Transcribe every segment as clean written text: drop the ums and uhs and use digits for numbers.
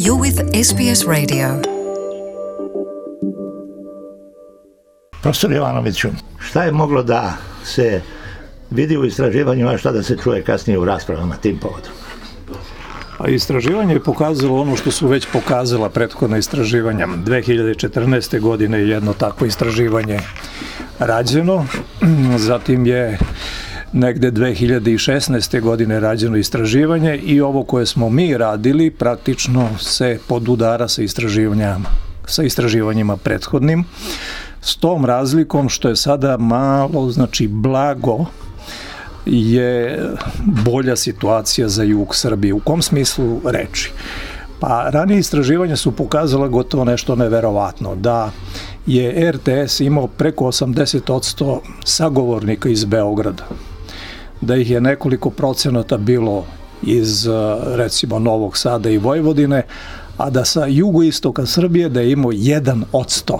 You're with SBS Radio. Profesor Jovanoviću, šta je moglo da se vidi u istraživanju, a šta da se čuje kasnije u raspravama tim povodom? A istraživanje je pokazalo ono što su već pokazala prethodna istraživanja. 2014. godine je jedno takvo istraživanje rađeno, zatim je negde 2016. godine rađeno istraživanje i ovo koje smo mi radili praktično se podudara sa istraživanjima prethodnim, s tom razlikom što je sada malo, blago je bolja situacija za jug Srbije. U kom smislu reči? Pa ranije istraživanja su pokazala gotovo nešto neverovatno, da je RTS imao preko 80% sagovornika iz Beograda, da ih je nekoliko procenata bilo iz recimo Novog Sada i Vojvodine, a da sa jugoistoka Srbije da je imao 1%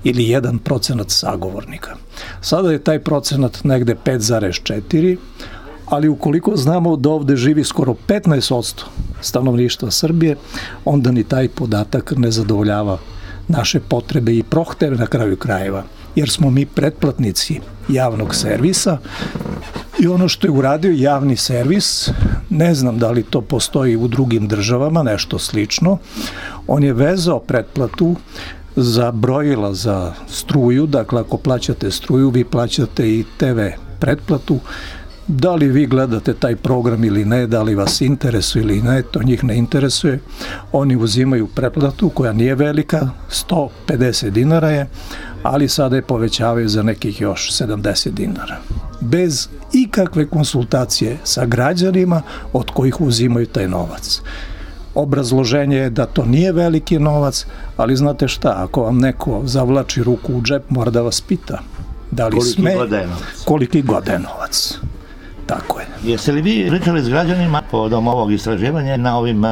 ili 1% sagovornika. Sada je taj procenat negde 5,4%, ali ukoliko znamo da ovde živi skoro 15% stanovništva Srbije, onda ni taj podatak ne zadovoljava naše potrebe i prohteve na kraju krajeva, jer smo mi pretplatnici javnog servisa i ono što je uradio javni servis, ne znam da li to postoji u drugim državama, nešto slično, on je vezao pretplatu za brojila za struju, dakle ako plaćate struju, vi plaćate i TV pretplatu, da li vi gledate taj program ili ne, da li vas interesuje ili ne, to njih ne interesuje, oni uzimaju pretplatu koja nije velika, 150 dinara je, ali sada je povećavaju za nekih još 70 dinara. Bez ikakve konsultacije sa građanima od kojih uzimaju taj novac. Obrazloženje je da to nije veliki novac, ali znate šta, ako vam neko zavlači ruku u džep, mora da vas pita da li koliki god je novac. Tako je. Jeste li vi pričali s građanima povodom ovog istraživanja na ovim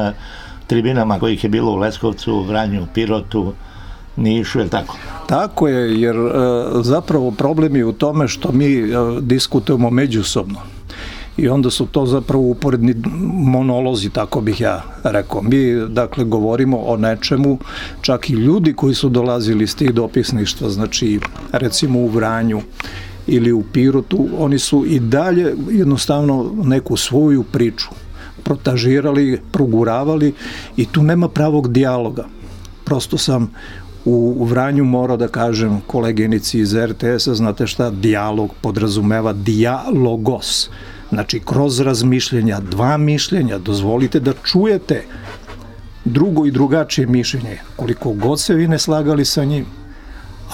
tribinama kojih je bilo u Leskovcu, Vranju, Pirotu, Nišu, je li tako? Tako je, jer zapravo problem je u tome što mi diskutujemo međusobno. I onda su to zapravo uporedni monolozi, tako bih ja rekao. Mi, dakle, govorimo o nečemu, čak i ljudi koji su dolazili iz tih dopisništva, znači, recimo u Vranju ili u Pirotu, oni su i dalje jednostavno neku svoju priču protažirali, proguravali i tu nema pravog dijaloga. Prosto sam u Vranju morao da kažem koleginici iz RTS-a, znate šta, dijalog podrazumeva dijalogos. Znači, kroz razmišljenja, dva mišljenja, dozvolite da čujete drugo i drugačije mišljenje, koliko god se vi ne slagali sa njim.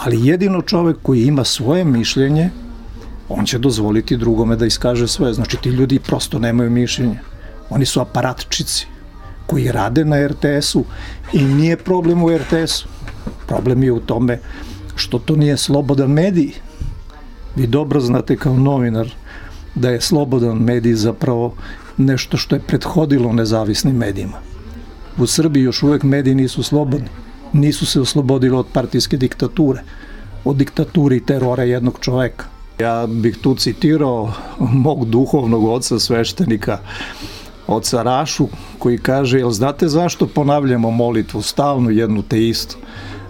Ali jedino čovek koji ima svoje mišljenje, on će dozvoliti drugome da iskaže svoje. Znači, ti ljudi prosto nemaju mišljenje. Oni su aparatčici koji rade na RTS-u i nije problem u RTS-u. Problem je u tome što to nije slobodan medij. Vi dobro znate kao novinar da je slobodan medij zapravo nešto što je prethodilo nezavisnim medijima. U Srbiji još uvek mediji nisu slobodni. Nisu se oslobodili od partijske diktature, od diktature i terora jednog čoveka. Ja bih tu citirao mog duhovnog oca sveštenika, oca Rašu, koji kaže, jel znate zašto ponavljamo molitvu stalno jednu te istu?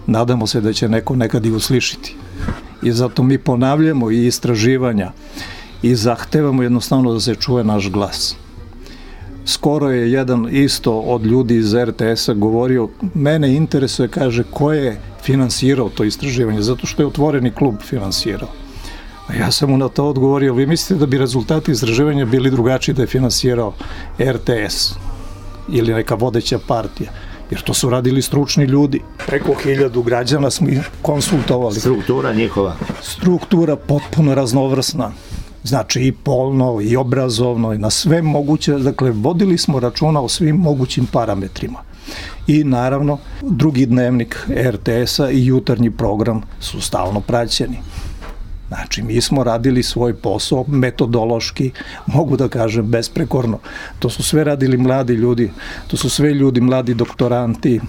Nadamo se da će neko nekad i uslišiti. I zato mi ponavljamo i istraživanja i zahtevamo jednostavno da se čuje naš glas. Skoro je jedan isto od ljudi iz RTS-a govorio, mene interesuje, kaže, ko je finansirao to istraživanje, zato što je otvoreni klub finansirao. A ja sam mu na to odgovorio, vi mislite da bi rezultati istraživanja bili drugačiji da je finansirao RTS ili neka vodeća partija? Jer to su radili stručni ljudi. Preko 1000 građana smo konsultovali. Struktura njihova? Struktura potpuno raznovrsna. Znači i polno, i obrazovno, i na sve moguće. Dakle, vodili smo računa o svim mogućim parametrima. I naravno, drugi dnevnik RTS-a i jutarnji program su stalno praćeni. Znači, mi smo radili svoj posao metodološki, mogu da kažem, besprekorno. To su sve radili mladi ljudi, to su sve ljudi, mladi doktoranti,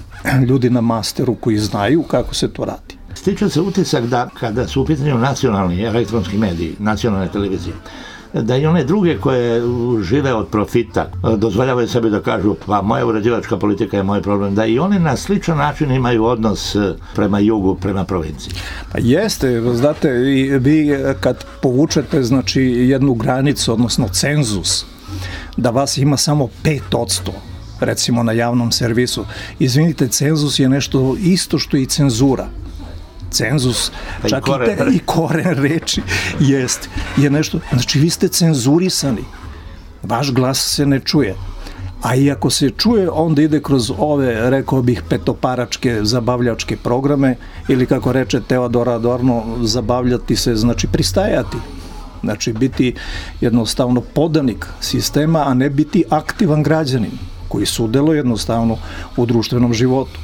ljudi na masteru koji znaju kako se to radi. Stiče se utisak da kada su u pitanju nacionalni elektronski mediji, nacionalne televizije, da i one druge koje žive od profita dozvoljavaju sebi da kažu pa moja uređivačka politika je moj problem, da i one na sličan način imaju odnos prema jugu, prema provinciji. Pa jeste, znate, vi kad povučete znači jednu granicu, odnosno cenzus, da vas ima samo 5%, recimo na javnom servisu. Izvinite, cenzus je nešto isto što i cenzura. Cenzus, čak i koren reči je nešto, znači vi ste cenzurisani, vaš glas se ne čuje, a i ako se čuje, onda ide kroz ove, rekao bih, petoparačke zabavljačke programe, ili kako reče Teodor Adorno, zabavljati se, znači pristajati, znači biti jednostavno podanik sistema, a ne biti aktivan građanin koji sudeluje jednostavno u društvenom životu.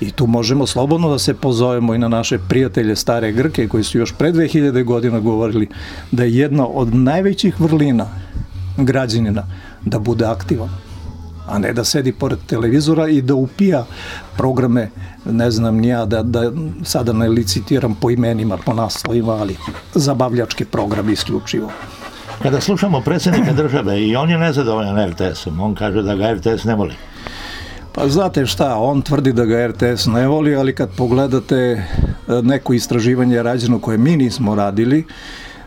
I tu možemo slobodno da se pozovemo i na naše prijatelje stare Grke koji su još pre 2000 godina govorili da je jedna od najvećih vrlina građanina da bude aktivan, a ne da sedi pored televizora i da upija programe, ne znam ni ja, da sada ne licitiram po imenima, po naslovima, ali zabavljačke programe isključivo. Kada slušamo predsjednika države i on je nezadovoljan RTS-om, on kaže da ga RTS ne voli. Pa znate šta, on tvrdi da ga RTS ne voli, ali kad pogledate neko istraživanje rađeno koje mi nismo radili,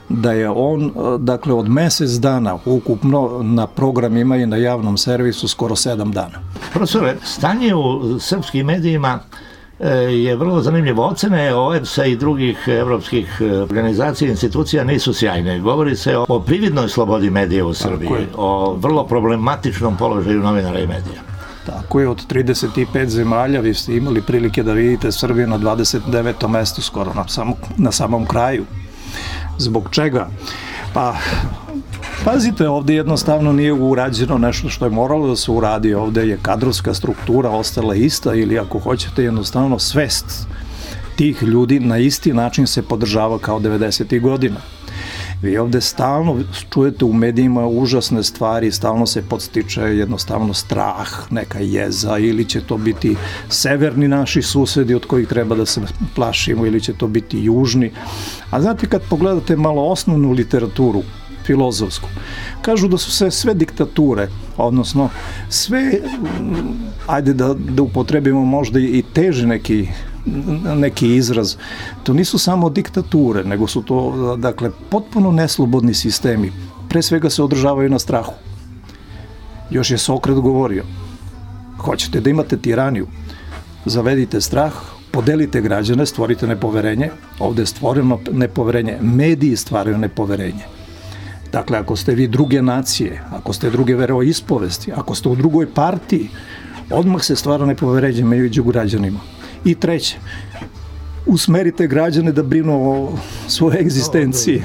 da je on, dakle, od mesec dana ukupno na programima i na javnom servisu skoro 7 dana. Profesore, stanje u srpskim medijima je vrlo zanimljivo. Ocene OEBS-a i drugih evropskih organizacija i institucija nisu sjajne. Govori se o prividnoj slobodi medija u Srbiji, o vrlo problematičnom položaju novinara i medija. Tako je, od 35 zemalja vi ste imali prilike da vidite Srbiju na 29. mestu skoro, na samom kraju. Zbog čega? Pa, pazite, ovdje jednostavno nije urađeno nešto što je moralo da se uradi. Ovdje je kadrovska struktura ostala ista, ili ako hoćete jednostavno svest tih ljudi na isti način se podržava kao 90. godina. Vi ovdje stalno čujete u medijima užasne stvari, stalno se podstiče jednostavno strah, neka jeza, ili će to biti severni naši susedi od kojih treba da se plašimo, ili će to biti južni. A znate, kad pogledate malo osnovnu literaturu, filozofsku, kažu da su se sve diktature, odnosno sve, ajde da upotrebimo možda i teži neki izraz, to nisu samo diktature, nego su to, dakle, potpuno neslobodni sistemi. Pre svega se održavaju na strahu. Još je Sokrat govorio, hoćete da imate tiraniju, zavedite strah, podelite građane, stvorite nepoverenje. Ovde je stvoreno nepoverenje, mediji stvaraju nepoverenje. Dakle, ako ste vi druge nacije, ako ste druge veroispovesti, ako ste u drugoj partiji, odmah se stvara nepoverenje među građanima. I treće, usmerite građane da brinu o svojoj egzistenciji.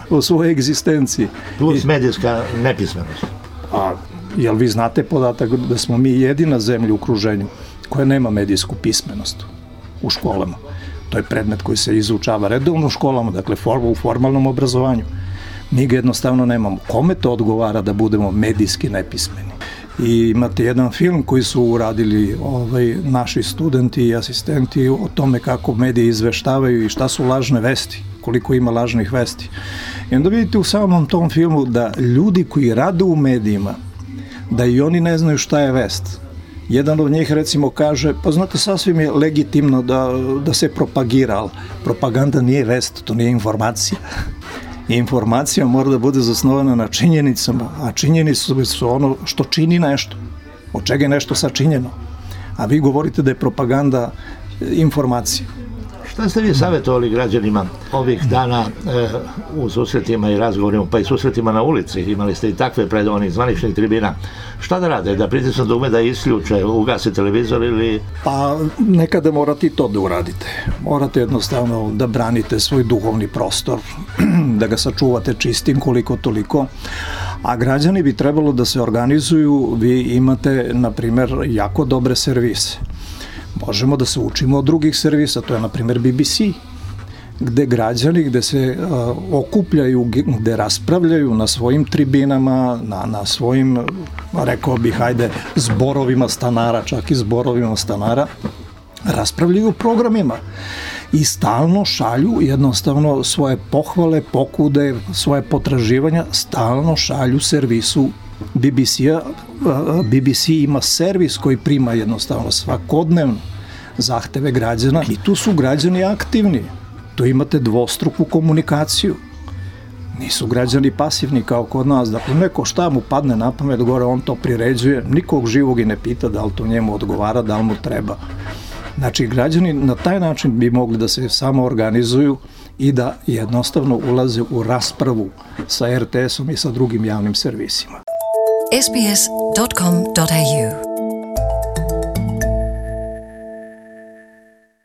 O svojoj egzistenciji. Plus medijska nepismenost. A jel vi znate podatak da smo mi jedina zemlja u okruženju koja nema medijsku pismenost u školama? To je predmet koji se izučava redovno u školama, dakle u formalnom obrazovanju. Mi ga jednostavno nemamo. Kome to odgovara da budemo medijski nepismeni? I imate jedan film koji su uradili naši studenti i asistenti o tome kako mediji izveštavaju i šta su lažne vesti, koliko ima lažnih vesti. I onda vidite u samom tom filmu da ljudi koji rade u medijima, da i oni ne znaju šta je vest. Jedan od njih recimo kaže, pa znate, sasvim je legitimno da se propagira, ali propaganda nije vest, to nije informacija. Informacija mora da bude zasnovana na činjenicama, a činjenice su ono što čini nešto, od čega je nešto sačinjeno. A vi govorite da je propaganda informacija. Šta ste vi savjetovali građanima ovih dana u susretima i razgovorima, pa i susretima na ulici? Imali ste i takve pred onih zvaničnih tribina. Šta da rade? Da pritisnu dugme, da isključe, ugase televizor ili... Pa nekada morate i to da uradite. Morate jednostavno da branite svoj duhovni prostor, da ga sačuvate čistim koliko toliko. A građani bi trebalo da se organizuju. Vi imate, na primjer, jako dobre servise. Možemo da se učimo od drugih servisa, to je na primjer BBC, gde građani, gde se okupljaju, gde raspravljaju na svojim tribinama, na svojim, rekao bih, ajde, zborovima stanara, čak i zborovima stanara, raspravljaju o programima. i stalno šalju jednostavno svoje pohvale, pokude, svoje potraživanja, stalno šalju servisu BBC-a. BBC ima servis koji prima jednostavno svakodnevno zahteve građana i tu su građani aktivni. Tu imate dvostruku komunikaciju. Nisu građani pasivni kao kod nas. Dakle, neko šta mu padne na pamet gore, on to priređuje, nikog živog i ne pita da li to njemu odgovara, da li mu treba. Znači, građani na taj način bi mogli da se samo organizuju i da jednostavno ulaze u raspravu sa RTS-om i sa drugim javnim servisima. sbs.com.au